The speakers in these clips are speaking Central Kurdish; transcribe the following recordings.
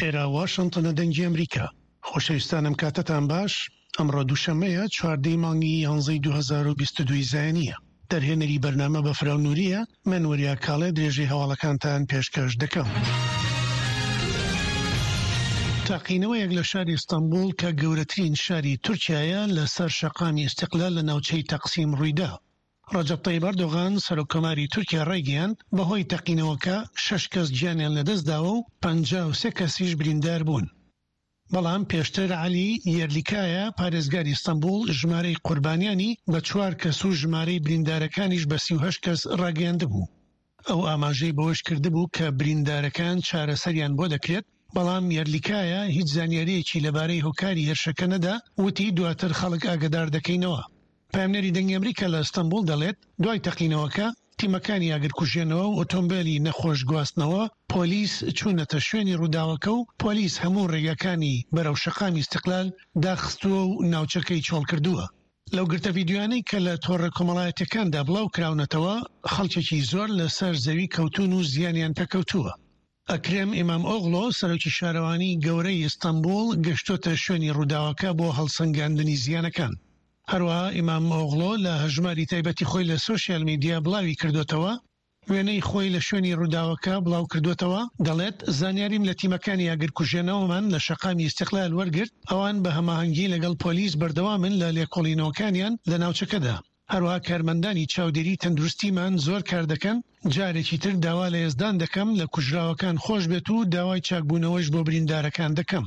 ئێرە واشنتنە دەنگی ئەمریکا. خۆشەویستان ئەم کاتەتان باش، ئەمڕۆ دووشەممەیە چواردەی مانگی یانزەی 2022 زایەنییە. دەرهێنەری بەرنامە بەفراو نورییە، من وریا کاڵێ درێژەی هەواڵەکانتان پێشکەش دەکەم. تەقینەوەیەک لە شاری ئیستەنبوڵ کە گەورەترین شاری تورکیایە لەسەر شەقامی ئیستیقلال لە ناوچەی تەقسیم ڕوویدا. ڕەجەب تەیب ئەردۆغان، سەرۆککۆماری تورکیا ڕایگەیاند، بەهۆی تەقینەوەکە شەش کەس گیانیان لەدەستداوە و 53 کەسیش بریندار بوون. بەڵام پێشتر عەلی یەرلیکایا، پارێزگاری ئیستەنبوڵ ژمارەی قوربانیانی بە چوار کەس و ژمارەی بریندارەکانیش بە 38 کەس ڕاگەیاندبوو. ئەو ئاماژەی بەوەش کردبوو کە بریندارەکان چارەسەریان بۆ دەکرێت، بەڵام یەرلیکایا هیچ زانیارییەکی لەبارەی هۆکاری هێرشەکە نەدا، وتی دواتر خەڵک ئاگەدار دەکەینەوە. پەیامنێری دەنگی ئەمریکا لە ئەستەنبوڵ دەڵێت، دوای تەقینەوەکە، تیمەکانی ئاگرکوژێنەوە و ئۆتۆمبێلی نەخۆش گواستنەوە، پۆلیس چوونەتە شوێنی ڕووداوەکە و پۆلیس هەموو ڕێگاکانی بەرەو شەقامی ئیستقلال داخستووە و ناوچەکەی چۆڵکردووە. لەو گرتە ڤیدیۆیانەی کە لە تۆڕە کۆمەڵایەتیەکاندا بڵاوکراونەتەوە، خەڵکێکی زۆر لەسەر زەوی کەوتوون و زیانیان پێکەوتووە. ئەکرەم ئیمامئۆغڵۆ، سەرۆکی شارەوانیی گەورەی ئیستەنبوڵ گەشتۆتە شوێنی ڕووداوەکە بۆ هەڵسەنگاندنی زیانەکان. هەروەها ئیمامئۆغڵۆ لە هەژماری تایبەتی خۆی لە سۆشیال میدیا بڵاوی کردۆتەوە، وێنەی خۆی لە شوێنی ڕووداوەکە بڵاوکردۆتەوە، دەڵێت، زانیاریم لە تیمەکانی ئاگرکوژێنەوەمان لە شەقامی ئیستیقلال وەرگرت، ئەوان بە هەماهەنگی لەگەڵ پۆلیس بەردەوامن لە لێکۆڵینەوەکانیان لە ناوچەکەدا. هەروەها کارمەندانی چاودێری تەندروستیمان زۆر کار دەکەن، جارێکی تر داوا لە یەزدان دەکەم لە کوژراوەکان خۆش بێت و داوای چاکبوونەوەش بۆ بریندارەکان دەکەم.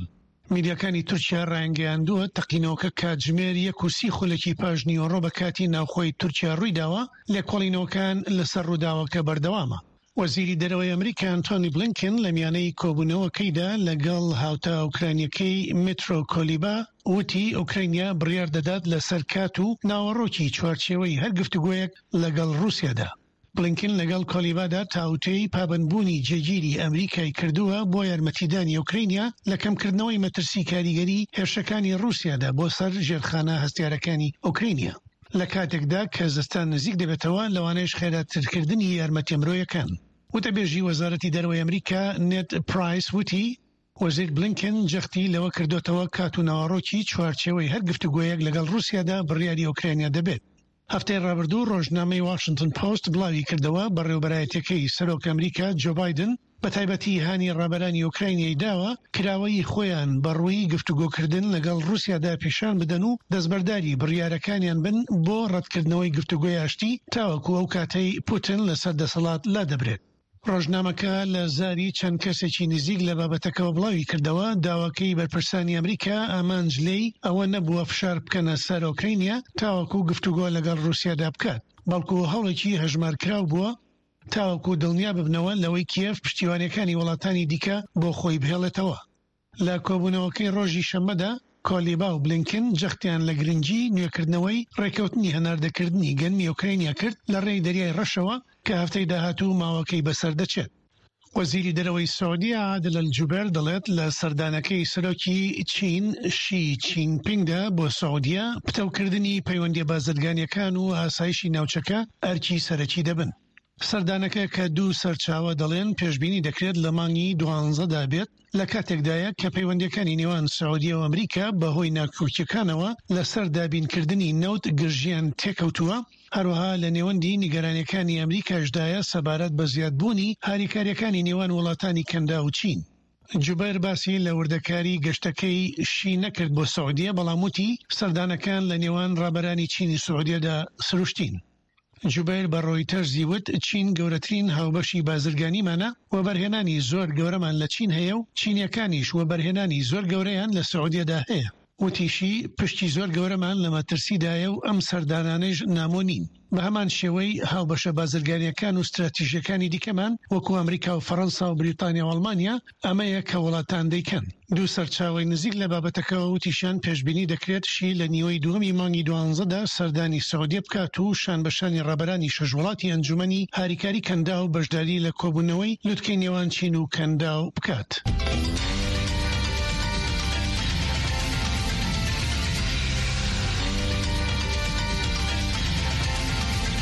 میدیاکانی تورکیا ڕایانگەیاندووە، تەقینەوەکە کاتژمێر یەک و سی خولەکی پاش نیوەڕۆ بە کاتی ناوخۆی تورکیا ڕوویداوە، لێکۆڵینەوەکان لەسەر ڕووداوەکە بەردەوامە. وەزیری دەرەوەی ئەمریکا ئەنتۆنی بلینکن لە میانەی کۆبوونەوەکەیدا لەگەڵ هاوتا ئۆکرانیەکەی مترۆ کۆلیبا وتی ئۆکرانیا بڕیار دەدات لەسەر کات و ناوەڕۆکی چوارچێوەی هەر گفتوگۆیەک لەگەڵ ڕووسیادا. بلینکن لەگەڵ کۆلیبادا تاوتوێی پابەندبوونی جێگیری ئەمریکای کردووە بۆ یارمەتیدانی ئۆکرانیا لە کەمکردنەوەی مەترسی کاریگەری هێرشەکانی ڕووسیادا بۆ سەر ژێرخانە هەستیارەکانی ئۆکرانیا. لە کاتێکدا کە زستان نزیک دەبێتەوە، لەوانەیەش خێراترکردنی یارمەتیە مرۆیەکان. وتەبێژی وەزارەتی دەرەوەی ئەمریکا نێد پرایس وتی، وەزیر بلینکن جەختی لەوە کردۆتەوە کات و ناوەڕۆکی چوارچێوەی هەر گفتوگۆیەک لەگەڵ ڕووسیادا بڕیاری ئۆکرانیا دەبێت. هەفتەی ڕابردوو ڕۆژنامەی واشنتن پۆست بڵاویکردەوە، بەڕێوەبەرایەتیەکەی سەرۆک ئەمریکا جۆ بایدن بە تایبەتی هانی ڕابەرانی ئۆکراینیای داوە کراوەیی خۆیان بە ڕووی گفتوگۆکردن لەگەڵ ڕووسیادا پیشان بدەن و دەستبەرداری بڕیارەکانیان بن بۆ ڕەتکردنەوەی گفتوگۆی ئاشتی تاوەکو ئەو کاتەی پوتن لەسەر دەسەڵات لادەبرێت. ڕۆژنامەکە لە زاری چەند کەسێکی نزیک لە بابەتەکەوە بڵاویکردەوە، داواکەی بەرپرسانی ئەمریکا ئامانج لێی ئەوە نەبووە فشار بکەنە سەر ئۆکراینیا تاوەکو گفتوگۆ لەگەڵ ڕووسیادا بکات، بەڵکو هەوڵێکی هەژمارکراو بووە تاوەکو دڵنیا ببنەوە لەوەی کیێڤ پشتیوانیەکانی وڵاتانی دیکە بۆ خۆی بهێڵێتەوە. لە کۆبوونەوەکەی ڕۆژی شەممەدا، کۆلیبا و بلینکن جەختیان لە گرنگی نوێکردنەوەی ڕێککەوتنی هەناردەکردنی گەنمی ئۆکرانیا کرد لە ڕێی دەریای ڕەشەوە کە هەفتەی داهاتوو ماوەکەی بەسەر دەچێت. وەزیری دەرەوەی سعودیە عادل ئەلجوبێر دەڵێت لە سەردانەکەی سەرۆکی چین شی چین پینگدا بۆ سعودیە پتەوکردنی پەیوەندیە بازرگانیەکان و ئاسایشی ناوچەکە ئەرکی سەرەکی دەبن. سەردانەکە کە دوو سەرچاوە دەڵێن پێشبینی دەکرێت لە مانگی دوانزەدا بێت لە کاتێکدایە کە پەیوەندیەکانی نێوان سعودیە و ئەمریکا بەهۆی ناکۆکیەکانەوە لەسەر دابینکردنی نەوت گرژیان تێکەوتووە، هەروەها لە نێوەندی نیگەرانیەکانی ئەمریکاشدایە سەبارەت بە زیادبوونی هاریکاریەکانی نێوان وڵاتانی کەنداو و چین. جوبەیر باسی لە وردەکاری گەشتەکەی شی نەکرد بۆ سعودیە، بەڵام وتی سەردانەکان لە نێوان ڕابەرانی چین و سعودیەدا سروشتین. جوبەیر بە ڕۆیتەرزی وت، چین گەورەترین هاوبەشی بازرگانیمانە، وەبەرهێنانی زۆر گەورەمان لە چین هەیە و چینیەکانیش وەبەرهێنانی زۆر گەورەیان لە سعودیەدا هەیە. وتیشی، پشکی زۆر گەورەمان لە مەترسیدایە و ئەم سەردانانەیش نامۆ نین. بە هەمان شێوەی هاوبەشە بازرگانییەکان و ستراتیژییەکانی دیکەمان وەکو ئەمریکا و فەرەنسا و بریتانیا و ئەڵمانیا، ئەمەیە کە وڵاتان دەیکەن. دوو سەرچاوەی نزیک لە بابەتەکەوە وتیشیان، پێشبینی دەکرێت شی لە نیوەی دووەمی مانگی دوانزەدا سەردانی سعودیە بکات و شان بە شانی ڕابەرانی شەش وڵاتی ئەنجومەنی هاریکاری کەنداو بەشداری لە کۆبوونەوەی لوتکەی نێوان چین و کەنداو بکات.